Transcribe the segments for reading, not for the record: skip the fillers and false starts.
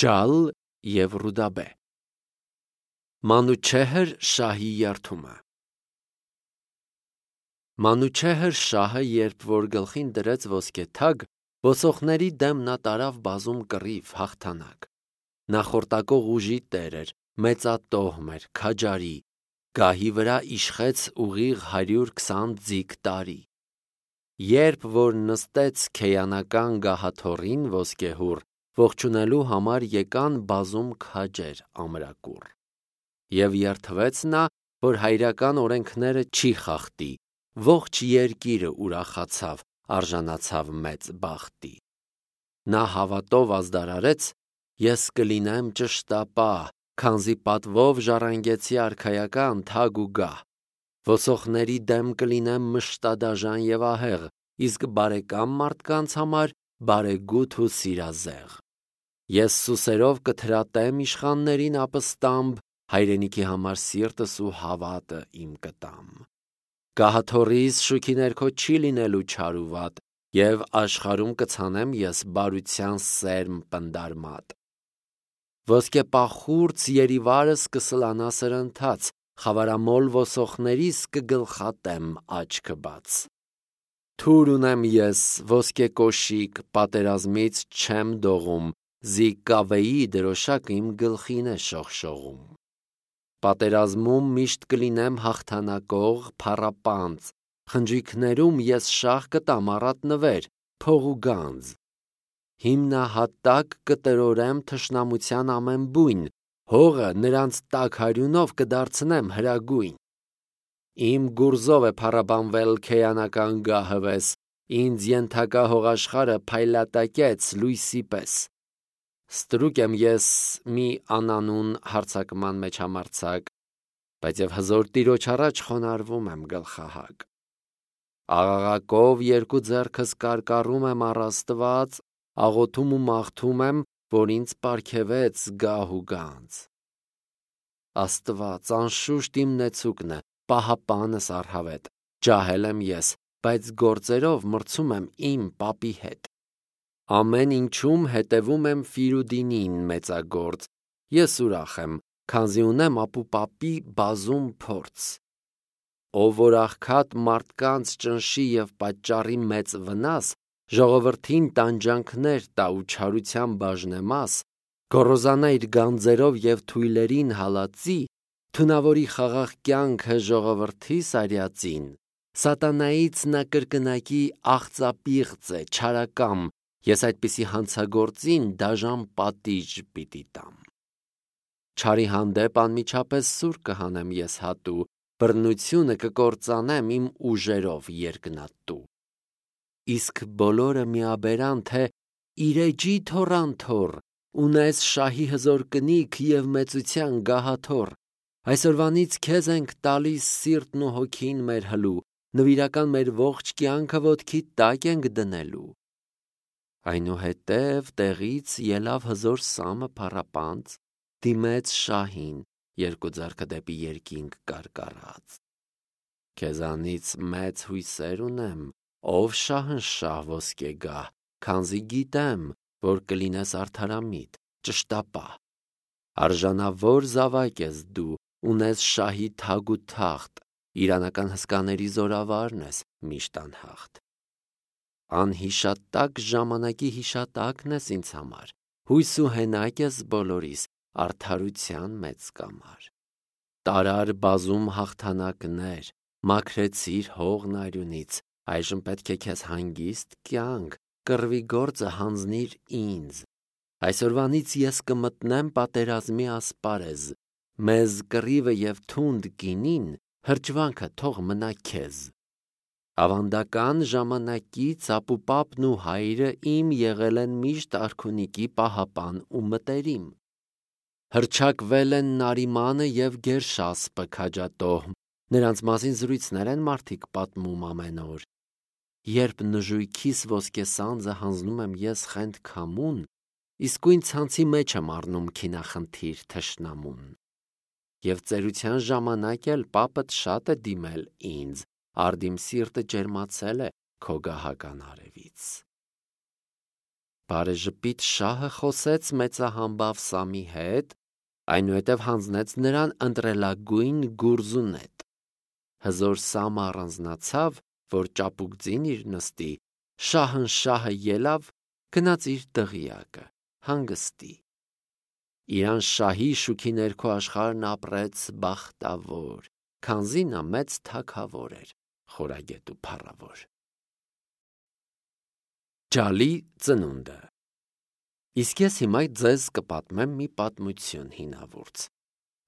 Ջալ և Ռուդաբե։ Մանուչեհր շահի երդումը։ Մանուչեհր շահը, երբ որ գլխին դրեց ոսկե թագ, ոսողների դեմ նա տարավ բազում կռիվ, հաղթանակ։ Նա խորտակող ուժի տեր էր, մեծատոհմ էր, քաջարի, գահի վրա իշխեց ուղիղ 120 ձիգ տարի։ Երբ որ նստեց քեյանական գահաթոռին ոսկեհուռ, ողջունելու համար եկան բազում քաջեր ամրակուռ։ Եվ երդվեց նա, որ հայրական օրենքները չի խախտի, ողջ երկիրը ուրախացավ, արժանացավ մեծ բախտի։ Նա հավատով ազդարարեց. ես կլինեմ ճշտապահ, քանզի պատվով ժառանգեցի արքայական թագ ու գահ։ Ոսողների դեմ կլինեմ մշտադաժան և ահեղ, իսկ բարեկամ մարդկանց համար բարեգութ ու սիրազեղ։ Ես սուսերով կթրատեմ իշխաններին ապստամբ, հայրենիքի համար սիրտս ու հավատը իմ կտամ։ Գահաթոռիս շուքի ներքո չի լինելու չար ու վատ, և աշխարհում կցանեմ ես բարության սերմ պնդարմատ։ Ոսկեպախուրձ երիվարս կսլանա սրընթաց, խավարամոլ ոսողներիս կգլխատեմ աչքը բաց։ Թուր ունեմ ես, ոսկե կոշիկ, պատերազմից չեմ դողում, զիկկավեի դրոշակը իմ գլխին է շողշողում։ Պատերազմում միշտ կլինեմ հաղթանակող, փառապանծ, խնջույքներում ես շահ կտամ առատ նվեր, փող ու գանձ։ Հիմնահատակ կտրորեմ թշնամության ամեն բույն, հողը նրանց տաք հարյունով կդարձնեմ հրագույն։ Իմ գուրզով է փառաբանվել քեյանական գահվես, ինձ ենթակա հողաշխարհը փայլատակեց լույսի պես։ Ստրուկ եմ ես մի անանուն հարձակման մեջ համարձակ, բայց և հզոր տիրոջ առաջ խոնարհվում եմ գլխահակ։ Աղաղակով երկու ձեռքս կարկառում եմ առ Աստված, աղոթում ու մաղթում եմ, որ ինձ պարգևեց գահ ու գանձ։ Աստված անշուշտ իմ նեցուկն է, պահապանս առհավետ, ջահել եմ ես, բայց գործերով մրցում եմ իմ պապի հետ։ Ամեն ինչում հետևում եմ Ֆիրուդինին մեծագործ, ես ուրախ եմ, քանզի ունեմ ապուպապի բազում փորձ։ Ով որ աղքատ մարդկանց ճնշի և պատճառի մեծ վնաս, ժողովրդին տանջանքներ տա ու չարության բաժնեմաս, գոռոզանա իր գանձերով և թույլերին հալածի, թունավորի խաղաղ կյանքը ժողովրդիս արյածին, սատանայից նա կրկնակի աղծապիղծ է, չարակամ, ես այդպիսի հանցագործին դաժան պատիժ պիտի տամ։ Չարի հանդեպ անմիջապես սուր կհանեմ ես հատու, բռնությունը կկործանեմ իմ ուժերով երկնատու։ Իսկ բոլորը միաբերան, թե իրեջի թոռանթոռ, ունես շահի հզոր կնիք և մեծության գահաթոռ, այսօրվանից քեզ ենք տալիս սիրտն ու հոգին մեր հլու, նվիրական մեր ողջ կյանքը ոտքի տակ ենք դնելու։ Այնուհետև տեղից ելավ հզոր սամը փառապանծ, դիմեց շահին, երկու ձեռքը դեպի երկինք կարկառած։ Քեզանից մեծ հույսեր ունեմ, ով շահնշահ ոսկե գահ, քանզի գիտեմ, որ կլինես արդարամիտ, ճշտապահ։ Արժանավոր զավակ ես դու, ունես շահի թագ ու թախտ, իրանական հսկաների զորավարն ես միշտ անհաղթ։ Անհիշատակ ժամանակի հիշատակն ես ինձ համար, հույս ու հենակ ես բոլորիս, արդարության մեծ կամար։ Տարար բազում հաղթանակներ, մաքրեցիր հողն արյունից, այժմ պետք է քեզ հանգիստ կյանք, կռվի գործը հանձնիր ինձ։ Այսօրվանից ես կմտնեմ պատերազմի ասպարեզ, մեզ կռիվը և թունդ գինին, հրճվանքը թող մնա քեզ։ Ավանդական ժամանակից ապուպապն ու հայրը իմ եղել են միշտ արքունիքի պահապան ու մտերիմ։ Հռչակվել են Նարիմանը և Գերշասպը քաջատոհ, նրանց մասին զրույցներ են մարդիկ պատմում ամեն օր։ Երբ նժույգիս ոսկե սանձը հանձնում եմ ես խենթ քամուն, իսկույն ցանցի մեջ եմ առնում քինախնդիր թշնամուն։ Եվ ծերության ժամանակ էլ պապդ շատ է դիմել ինձ, արդիմ սիրտը ջերմացել է քո գահական արևից։ Բարեժպիտ շահը խոսեց մեծահամբավ Սամի հետ, այնուհետև հանձնեց նրան ընտրելագույն գուրզունետ։ Հզոր Սամը առանձնացավ, որ ճապուկ ձին իր նստի, շահը ելավ, գնաց իր դղյակը, հանգստի։ Իրան շահի շուքի ներքո աշխարհն ապրեց բախտավոր, քանզի նա մեծ թագավոր էր, խորագետ ու փառավոր։ Ջալի ծնունդը։ Իսկ ես հիմա ձեզ կպատմեմ մի պատմություն հինավուրց։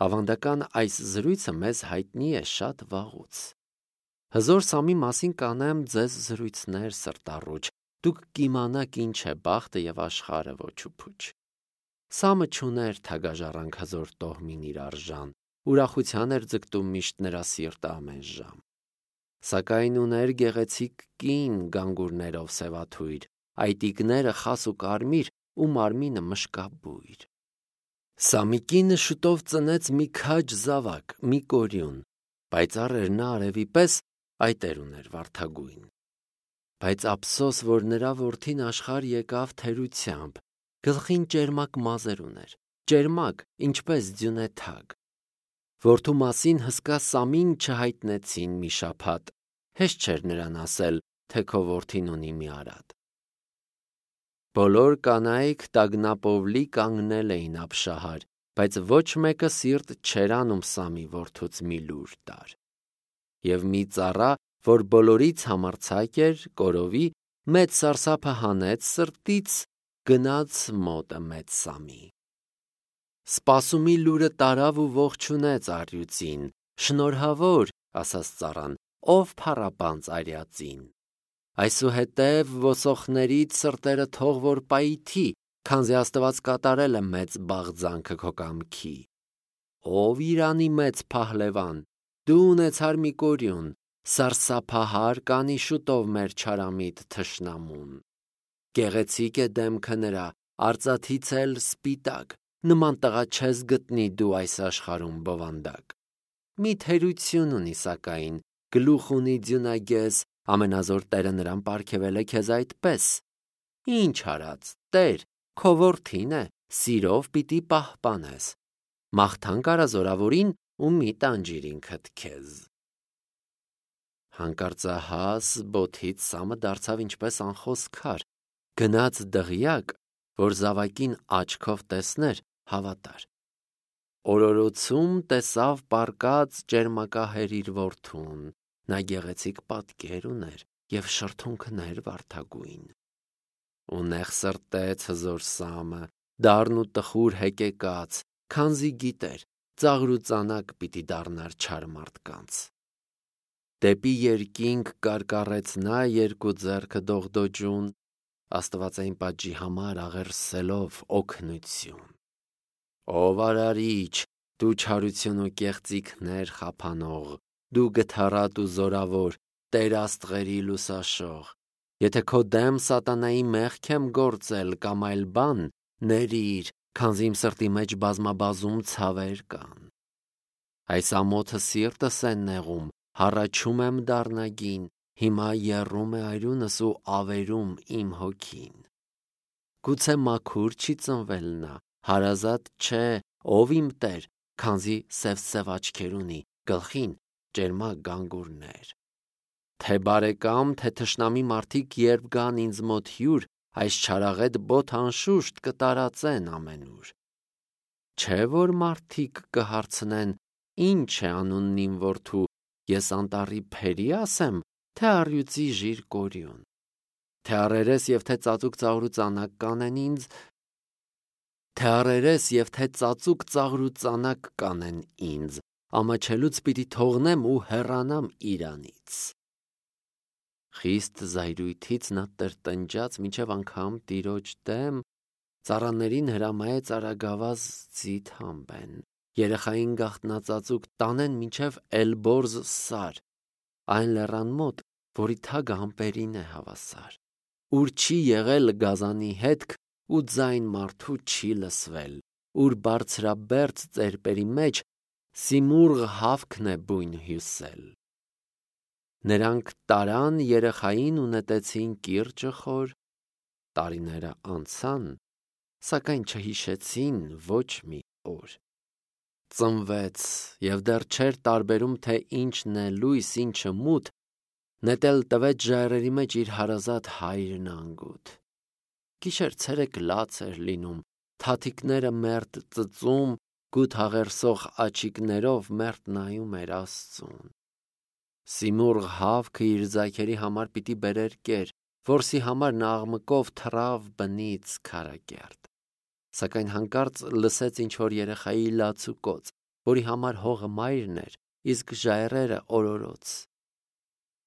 Ավանդական այս զրույցը մեզ հայտնի է շատ վաղուց։ Հզոր Սամի մասին կանեմ ձեզ զրույցներ սրտառուչ, դուք կիմանաք ինչ է բախտը և աշխարհը ոչ ու փուչ։ Սամը չուներ թագաժառանգ հզոր տոհմին իր արժան, ուրախության էր ձգտում միշտ նրա սիրտը ամեն ժամ։ Սակայն ուներ գեղեցիկ կին գանգուրներով սևաթույր, այտիկները խաս ու կարմիր ու մարմինը մշկաբույր։ Սամի կինը շուտով ծնեց մի քաջ զավակ, մի կորյուն, պայծառ էր նա արևի պես, այտեր ուներ վարդագույն։ Բայց ափսոս, որ նրա որդին աշխարհ եկավ թերությամբ, գլխին ճերմակ մազեր ուներ, ճերմակ, ինչպես ձյունե թագ։ Որդու մասին հսկա Սամին չհայտնեցին մի շաբաթ, հեշտ չէր նրան ասել, թե քո որդին ունի մի արատ։ Բոլոր կանայք տագնապովլի կանգնել էին ապշահար, բայց ոչ մեկը սիրտ չէր անում Սամի որդուց մի լուր տար։ Եվ մի ծառա, որ բոլորից համարձակ էր, կորովի, մեծ սարսափը հանեց սրտից, գնաց մոտը մեծ Սամի։ Սպասումի լուրը տարավ ու ողջունեց առյուծին, շնորհավոր, ասաց ծառան, ով փառապանծ արյածին։ Այսուհետև ոսոխներից սրտերը թող որ պայթի, քանզի Աստված կատարել է մեծ բաղձանքը քո կամքի։ Ով Իրանի մեծ փահլևան, դու ունեցար մի կորյուն, սարսափահար կանի շուտով մեր չարամիտ թշնամուն։ Գեղեցիկ է դեմքը նրա, արծաթից էլ սպիտակ, նման տղա չես գտնի դու այս աշխարհում բովանդակ։ Մի թերություն ունի սակայն, գլուխ ունի ձյունագես, ամենազոր Տերը նրան պարգևել է քեզ այդպես։ Ինչ արած, Տեր, քո որդին է, սիրով պիտի պահպանես։ Մաղթանք արա զորավորին ու մի տանջիր ինքդ քեզ։ Հանկարծահաս բոթից Սամը դարձավ ինչպես անխոս քար, գնաց դղյակ, որ զավակին աչքով տեսներ, հավատար։ Օրորոցում տեսավ պառկած ճերմակահեր իր որդուն, նա գեղեցիկ պատկեր ուներ և շրթունքներ վարդագույն։ Ու նեղ սրտեց հզոր Սամը, դառն ու տխուր հեկեկաց, քանզի գիտեր, ծաղր ու ծանակ պիտի դառնար չար մարդկանց։ Դեպի երկինք կարկառեց նա երկու ձեռքը դողդոջուն, աստվածային պատժի համար աղերսելով օգնություն։ Ով արարիչ, դու չարություն ու կեղծիքներ խափանող, դու գթառատ ու զորավոր, Տեր աստղերի լուսաշող, եթե քո դեմ սատանայի մեղք եմ գործել կամ այլ բան, ներիր, քանզի իմ սրտի մեջ բազմաբազում ցավեր կան։ Այս ամոթը սիրտս է նեղում, հառաչում եմ դառնագին, հիմա եռում է այրունս ու ավերում իմ հոգին։ Գուցե մաքուր չի ծնվել նա, հարազատ չէ, ով իմ Տեր, քանզի սև աչքեր ունի, գլխին ճերմակ գանգուրներ։ Թե բարեկամ, թե թշնամի մարդիկ երբ գան ինձ մոտ հյուր, այս չարաղետ բոթ անշուշտ կտարածեն ամենուր։ Չէ որ մարդիկ կհարցնեն, ինչ է անունն իմ որդու, ես անտառի փերի ասեմ, թե առյուծի ժիր կորյուն։ Թե առերես և թե ծածուկ ծաղր ու ծանակ կանեն ինձ, թե առերես և թե ծածուկ ծաղր ու ծանակ կանեն ինձ, ամաչելուց պիտի թողնեմ ու հեռանամ իրանից։ Խիստ զայրույթից նա տրտնջաց մինչև անգամ տիրոջ դեմ, ծառաներին հրամայեց արագավազ ձիթ հանբեն, երեխային գաղտնածածուկ տանեն մինչև Էլբորզ սար, այն լեռան մոտ, որի թագը ամպերին է հավասար, ուր չի եղել գազանի հետք ու ձայն մարդու չի լսվել, ուր բարձրաբերձ ծերպերի մեջ Սիմուրղ հավքն է բույն հյուսել։ Նրանք տարան երեխային ու նետեցին կիրճը խոր, տարիները անցան, սակայն չհիշեցին ոչ մի օր։ Ծնվեց և դեռ չէր տարբերում, թե ինչն է լույս, ինչը մութ, նետել տվեց ժայռերի մեջ իր հարազատ հայրն անգութ։ Գիշեր ցերեկ լաց էր լինում, թաթիկները մերթ ծծում, գութ հաղերսող աչիկներով մերթ նայում էր Աստծուն։ Սիմուրղ հավքը իր ձագերի համար պիտի բերեր կեր, որսի համար նա աղմկով թռավ բնից քարակերտ։ Սակայն հանկարծ լսեց ինչ-որ երեխայի լացուկոծ, որի համար հողը մայրն էր, իսկ ժայռերը օրորոց։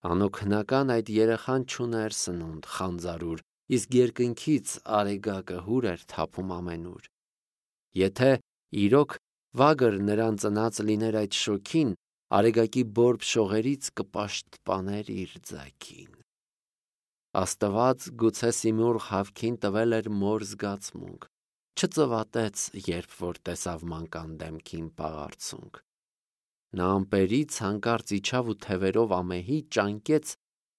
Անօգնական այդ երեխան չուներ սնունդ, խանձարուր, իսկ երկնքից արեգակը հուր էր թափում ամենուր։ Եթե իրոք վագր նրան ծնած լիներ այդ շոգին, արեգակի բորբ շողերից կպաշտպաներ իր ձագին։ Աստված գուցե Սիմուրղ հավքին տվել էր մոր զգացմունք, չծվատեց, երբ որ տեսավ մանկան դեմքին պաղարցունք։ Նա ամպերից հանկարծ իջավ ու թևերով ամեհի ճանկեց,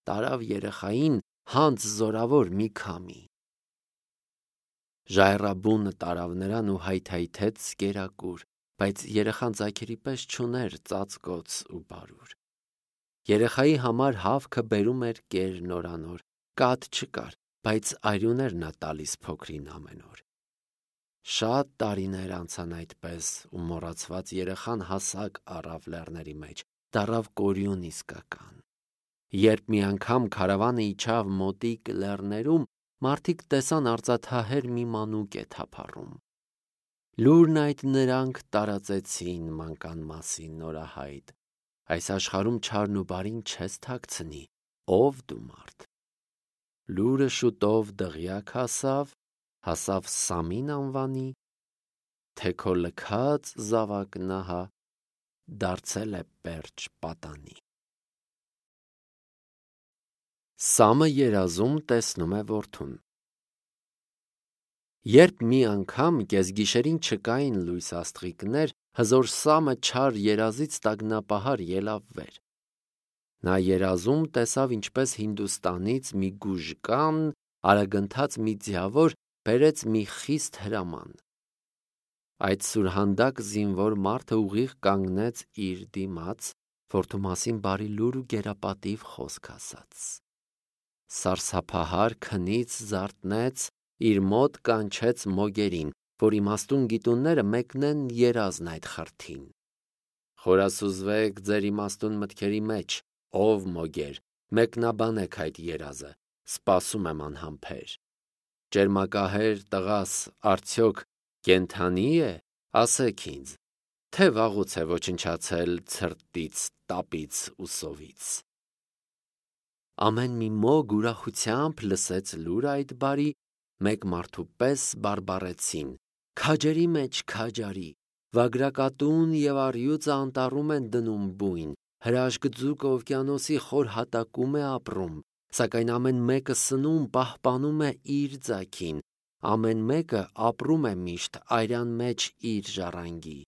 տարավ երեխային հանց զորավոր մի քամի։ Ժայռաբունը տարավ նրան ու հայթայթեց կերակուր, բայց երեխան ձագերի պես չուներ ծածկոց ու բարուր։ Երեխայի համար հավքը բերում էր կեր նորանոր, կաթ չկար, բայց արյուն էր նա տալիս փոքրին ամեն օր։ Շատ տարիներ անցան այդպես, ու մոռացված երեխան հասակ առավ լեռների մեջ, դառավ կորյուն իսկական։ Երբ մի անգամ քարավանը իջավ մոտիկ լեռներում, մարդիկ տեսան արծաթահեր մի մանուկ է թափառում։ Լուրն այդ նրանք տարածեցին մանկան մասին նորահայտ։ Այս աշխարհում չարն ու բարին չես թաքցնի, ով դու մարդ։ Լուրը շուտով դղյակ հասավ Սամին անվանի, թե քո լքած զավակն ահա դարձել է պերճ պատանի։ Սամը երազում տեսնում է որդուն։ Երբ մի անգամ կեսգիշերին չկային լույս աստղիկներ, հզոր Սամը չար երազից տագնապահար ելավ վեր։ Նա երազում տեսավ, ինչպես Հինդուստանից մի գուժկան արագընթաց մի ձիավոր բերեց մի խիստ հրաման։ Այդ սուրհանդակ զինվոր մարդը ուղիղ կանգնեց իր դիմաց, որդու մասին բարի լուր ու գերապատիվ խոսք ասաց։ Սարսափահար քնից զարթնեց, իր մոտ կանչեց մոգերին, որ իմաստուն գիտունները մեկնեն երազն այդ խրթին։ Խորասուզվեք ձեր իմաստուն մտքերի մեջ, ով մոգեր, մեկնաբանեք այդ երազը, սպասում եմ անհամբեր։ Ճերմակահեր տղաս արդյոք կենդանի է, ասեք ինձ, թե վաղուց է ոչնչացել ցրտից, տապից ու սովից։ Ամեն մի մոգ ուրախությամբ լսեց լուրը այդ բարի, մեկ մարդու պես բարբառեցին. քաջերի մեջ քաջարի, վագրակատուն և առյուծը անտառում են դնում բույն, հրաշք ձուկը օվկիանոսի խոր հատակում է ապրում, սակայն ամեն մեկը սնում պահպանում է իր ձագին, ամեն մեկը ապրում է միշտ արյան մեջ իր ժառանգի։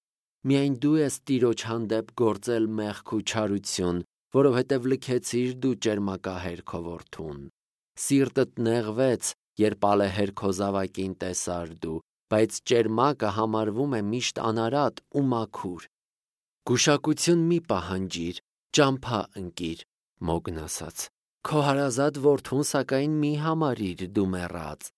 Միայն դու ես Տիրոջ հանդեպ գործել մեղք ու չարություն, որովհետև լքեցիր դու ճերմակահեր քո որդուն։ Սիրտդ նեղվեց, երբ ալեհեր քո զավակին տեսար դու, բայց ճերմակը համարվում է միշտ անարատ ու մաքուր։ Գուշակություն մի պահանջիր, ճամփա ընկիր, մոգն ասաց, քո հարազատ որդուն սակայն մի համարիր դու մեռած,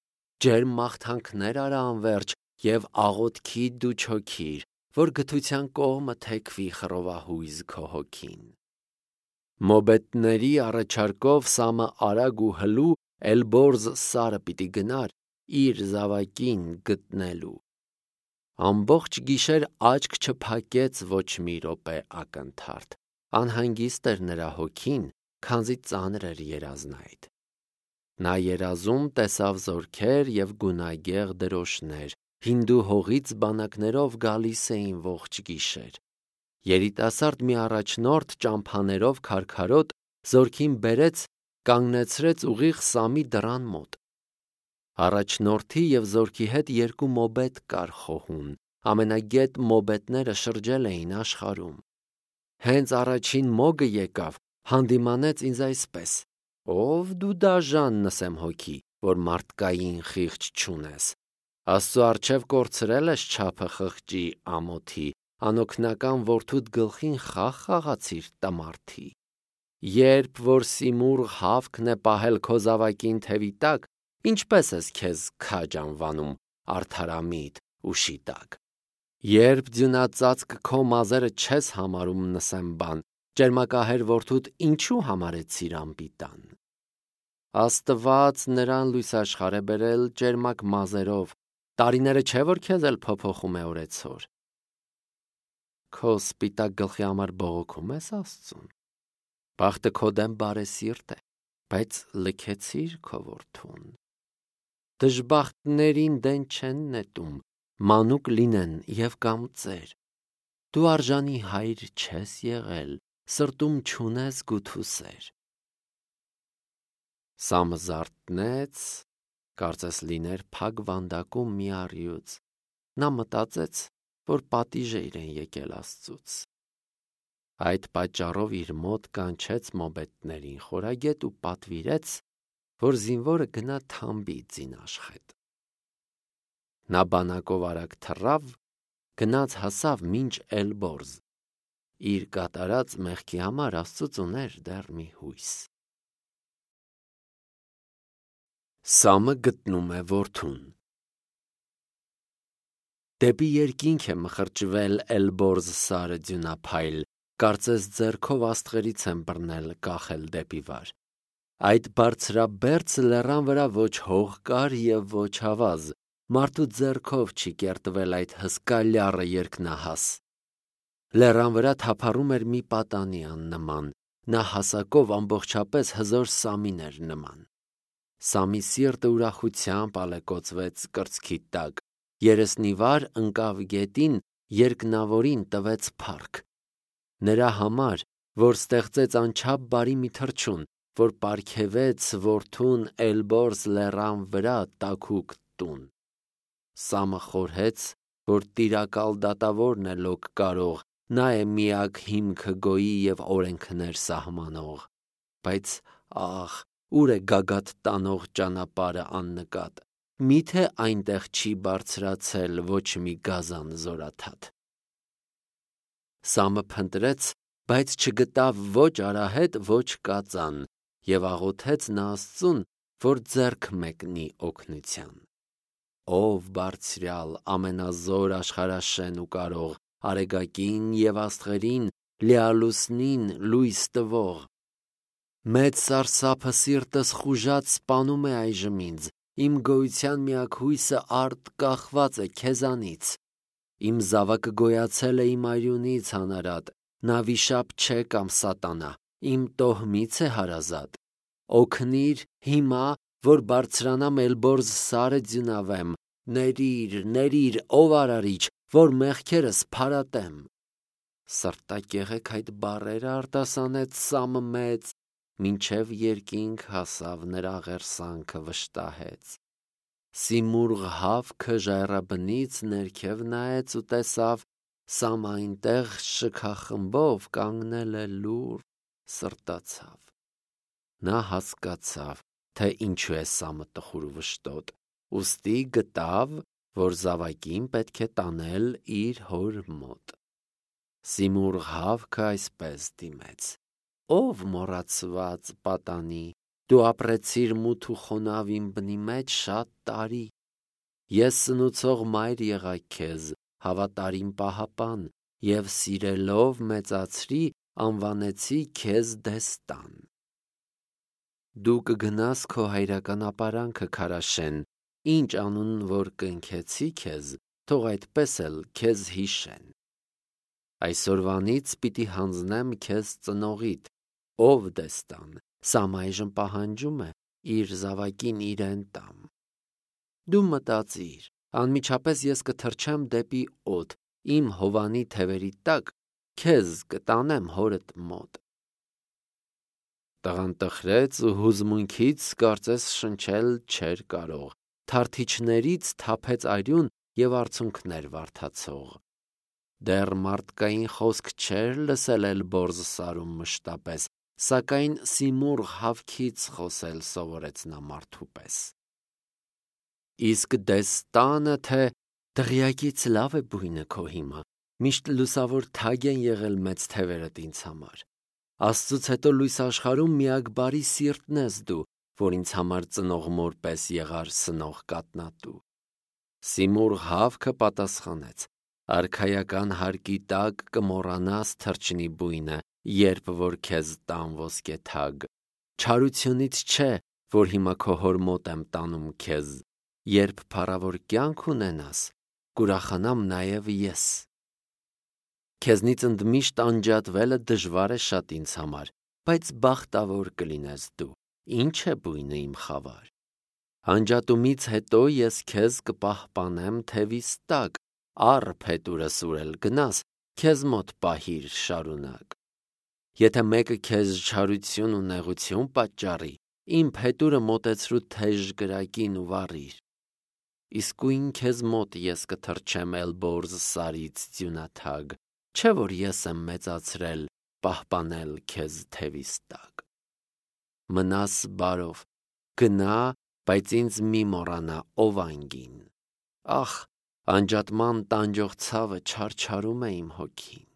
ջերմ մաղթանքներ արա անվերջ և աղոթքի դու չոքիր, որ գթության կողմը թեքվի խռովահույզ քո հոգին։ Մոբետների առաջարկով Սամը արագ ու հլու Էլբորզ սարը պիտի գնար իր զավակին գտնելու։ Ամբողջ գիշեր աչք չփակեց ոչ մի րոպե ակնթարթ, անհանգիստ էր նրա հոգին, քանզի ծանր էր երազն այդ։ Նա երազում տեսավ զորքեր և գունագեղ դրոշներ, հինդու հողից բանակներով գալիս էին ողջ գիշեր։ Երիտասարդ մի առաջնորդ ճամփաներով քարքարոտ զորքին բերեց, կանգնեցրեց ուղիղ Սամի դռան մոտ։ Առաջնորդի և զորքի հետ երկու մոբետ կար խոհուն, ամենագետ մոբետները շրջել էին աշխարհում։ Հենց առաջին մոգը եկավ, հանդիմանեց ինձ այսպես. «Ով դու դաժան նսեմ հոգի, որ մարդկային խիղճ չունես։ Աստծո առջև կորցրել ես չափը խղճի ամոթի, անօգնական որդուդ գլխին խաղ խաղացիր տմարդի։ Երբ որ Սիմուռ հավքն է պահել քո զավակին թևի տակ, ինչպես ես քեզ քաջ անվանում, արդարամիտ ու շիտակ։ Երբ ձյունածածկ քո մազերը չես համարում նսեմբան, ճերմակահեր որդուդ ինչու համարեցիր անպիտան։ Աստված նրան լույս աշխարհ է բերել ճերմակ մազերով, տարիները չէ որ քեզ էլ փոփոխում է օրեցօր։ Քո սպիտակ գլխի համար բողոքում ես Աստծուն։ Բախտը քո դեմ բարեսիրտ է, բայց լքեցիր քո որդուն։ Դժբախտներին դեն չեն նետում, մանուկ լինեն եւ կամ ծեր։ Դու արժանի հայր չես եղել, սրտում չունես գութուսեր։ Սամը զարթնեց, կարծես լիներ փակ վանդակում մի առյուծ։ Նա մտածեց, որ պատիժ է իրեն եկել Աստծուց։ Այդ պատճառով իր մոտ կանչեց մոբետներին խորագետ ու պատվիրեց, որ զինվորը գնա թամբի ձին-աշխետ։ Նա բանակով արագ թռավ, գնաց հասավ մինչ Էլբորզ։ Իր կատարած մեղքի համար Աստծուց ուներ դեռ մի հույս։ Սամը գտնում է որդուն։ Դեպի երկինք է մխրճվել Էլբորզ սարը ձյունափայլ, կարծես ձեռքով աստղերից են բռնել կախել դեպի վար։ Այդ բարձրաբերձ լեռան վրա ոչ հող կար և ոչ ավազ, մարդու ձեռքով չի կերտվել այդ հսկա լյառը երկնահաս։ Լեռան վրա թափառում էր մի պատանի աննման, նա հասակով ամբողջապես հզոր Սամին էր նման։ Սամի սիրտը ուրախությամբ ալեկոծվեց կրծքի տակ, երեսնի վար ընկավ գետին, երկնավորին տվեց փառք։ Նրա համար, որ ստեղծեց անչափ բարի մի թռչուն, որ պարգևեց որդուն Էլբորզ լեռան վրա տաքուկ տուն։ Սամը խորհեց, որ տիրակալ դատավորն է լոկ կարող, նա է միակ հիմքը գոյի և օրենքներ սահմանող։ Բայց ահ, ուր է գագաթ տանող ճանապարհը աննկատ, միթե այնտեղ չի բարձրացել ոչ մի գազան զորաթաթ։ Սամը փնտրեց, բայց չգտավ ոչ արահետ, ոչ կածան, և աղոթեց նա Աստծուն, որ ձեռք մեկնի օգնության։ Ով բարձրյալ, ամենազոր, աշխարհաշեն ու կարող, արեգակին և աստղերին, լիալուսնին լույս տվող։ Մեծ սարսափը սիրտս խուժած սպանում է այժմ ինձ, իմ գոյության միակ հույսը արդ կախված է քեզանից։ Իմ զավակը գոյացել է իմ արյունից անարատ, նա վիշապ չէ կամ սատանա, իմ տոհմից է հարազատ։ Օգնիր հիմա, որ բարձրանամ Էլբորզ սարը ձյունավեմ, ների՛ր, ով արարիչ, որ մեղքերս փարատեմ։ Սրտակեղեք այդ բառերը արտասանեց Սամը մեծ, մինչև երկինք հասավ նրա ղերսանքը վշտահեց։ Սիմուռ հավքը ժայռաբնից ներքև նայեց ու տեսավ Սամը այնտեղ շքախմբով կանգնել է լուռ, սրտացավ։ Նա հասկացավ, թե ինչու է Սամը տխուր ու վշտոտ, ուստի գտավ, որ զավակին պետք է տանել իր հոր մոտ։ Սիմուռ հավքը այսպես դիմեց. Ով մոռացված պատանի, դու ապրեցիր մութ ու խոնավ իմ բնի մեջ շատ տարի։ Ես սնուցող մայր եղա քեզ, հավատարիմ պահապան, և սիրելով մեծացրի, անվանեցի քեզ դեստան։ Դու կգնաս քո հայրական ապարանքը Քարաշեն, ինչ անուն որ կնքեցի քեզ, թող այդպես էլ քեզ հիշեն։ Այսօրվանից պիտի հանձնեմ քեզ ծնողիդ, ով դեստան, Սամը այժմ պահանջում է իր զավակին իրեն տամ։ Դու մտածիր, անմիջապես ես կթռչեմ դեպի օդ, իմ հովանի թևերի տակ, քեզ կտանեմ հորդ մոտ։ Տղան տխրեց ու հուզմունքից կարծես շնչել չէր կարող, թարթիչներից թափեց արյուն և արցունքներ վարդացող։ Դեռ մարդկային խոսք չէր լսել Էլբորզ սարում մշտապես, սակայն Սիմուռ հավքից խոսել սովորեց նա մարդու պես։ Իսկ դեստանը թե դղյակից լավ է բույնը քո հիմա, միշտ լուսավոր թագ են եղել մեծ թևերդ ինձ համար։ Աստծուց հետո լույս աշխարհում միակ բարի սիրտն ես դու, որ ինձ համար ծնող մոր պես եղար սնող կատնատու։ Սիմուռ Հավքը պատասխանեց. արքայական հարկի տակ կմոռանաս թրջնի բույնը, երբ որ քեզ տան ոսկե թագ։ Չարությունից չէ, որ հիմա քո հոր մոտ եմ տանում քեզ, երբ փառավոր կյանք ունենաս, կուրախանամ նաև ես։ Քեզնից ընդմիշտ անջատվելը դժվար է շատ ինձ համար, բայց բախտավոր կլինես դու, ինչ է բույնը իմ խավար։ Անջատումից հետո ես քեզ կպահպանեմ թևիս տակ, առ փետուրսուրել գնաս, քեզ մոտ պահիր շարունակ։ Եթե մեկը քեզ չարություն ու նեղություն պատճառի, իմ փետուրը մոտեցրու թեժ կրակին ու վառիր։ Իսկույն քեզ մոտ ես կթռչեմ Էլբորզ սարից ձյունաթագ, չէ որ ես եմ մեծացրել, պահպանել քեզ թևիս տակ։ Մնաս բարով, գնա, բայց ինձ մի մոռանա, ով անգին։ Ախ, անջատման տանջող ցավը չարչարում է իմ հոգին։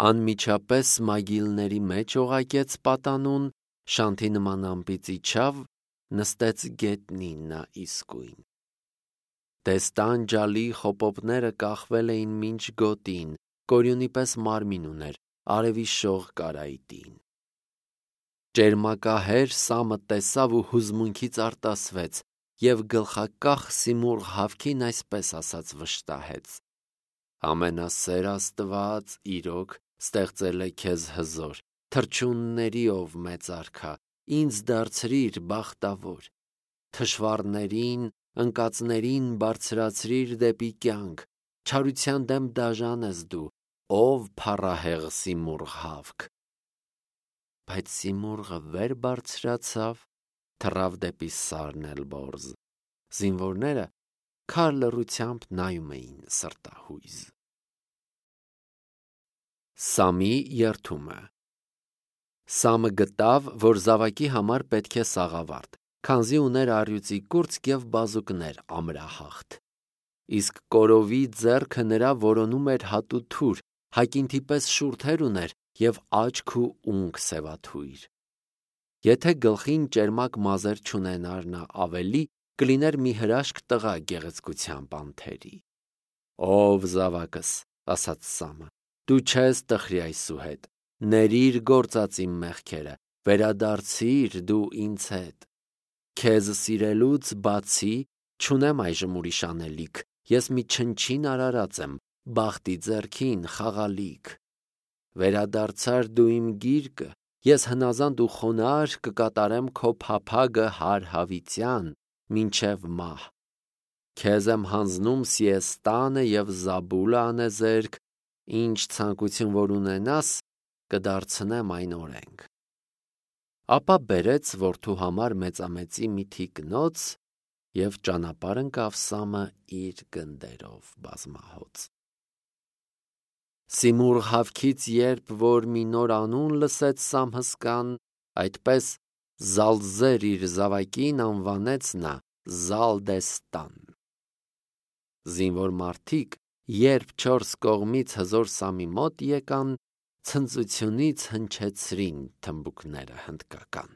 Անմիջապես մագիլների մեջ օղակեց պատանուն, շանթի նման ամպից իջավ, նստեց գետնին նա իսկույն։ Դեստան ջալի խոպոպները կախվել էին մինչ գոտին, կորյունի պես մարմին ուներ, արևի շող կարայտին։ Ճերմակահեր Սամը տեսավ ու հուզմունքից արտասվեց, և գլխակախ Սիմուռ Հավքին այսպես ասաց վշտահեց. ամենասեր Աստված իրոք ստեղծել է քեզ հզոր, թռչունների ով մեծ արքա, ինձ դարձրիր բախտավոր, թշվառներին, ընկածներին բարձրացրիր դեպի կյանք, չարության դեմ դաժան ես դու, ով փառահեղ Սիմուռ Հավք։ Բայց Սիմուռը վեր բարձրացավ, թռավ դեպի սարն Էլբորզ, զինվորները քար լռությամբ նայում էին սրտահույզ։ Սամի երդումը։ Սամը գտավ, որ զավակի համար պետք է սաղավարտ, քանզի ուներ առյուծի կուրծք և բազուկներ ամրահաղթ։ Իսկ կորովի ձեռքը նրա որոնում էր հատու թուր, հակինթի պես շուրթեր ուներ և աչք ու ունք սևաթույր։ Եթե գլխին ճերմակ մազեր չունենար նա ավելի, կլիներ մի հրաշք տղա գեղեցկությամբ անթերի։ Ով զավակս, ասաց Սամը, դու չես տխրի այսուհետ, ներիր գործած իմ մեղքերը, վերադարձիր դու ինձ հետ։ Քեզ սիրելուց բացի չունեմ այժմ ուրիշ անելիք, ես մի չնչին արարած եմ, բախտի ձեռքին խաղալիք։ Վերադարձար դու իմ գիրկը, ես հնազանդ ու խոնարհ կկատարեմ քո փափագը հարհավիտյան, մինչև մահ։ Քեզ եմ հանձնում Սիեստանը և Զաբուլը անեզերք, ինչ ցանկություն որ ունենաս, կդարձնեմ այն օրենք։ Ապա բերեց որդու համար մեծամեծի մի թիկնոց և ճանապարհ ընկավ Սամը իր գնդերով բազմահոծ։ Սիմուռ Հավքից երբ որ մի նոր անուն լսեց Սամհսկան, այդպես Զալզեր իր զավակին անվանեց նա Զալդեստան։ Զինվոր մարդիկ, երբ չորս կողմից հզոր Սամի մոտ եկան, ցնծությունից հնչեցրին թմբուկները հնդկական։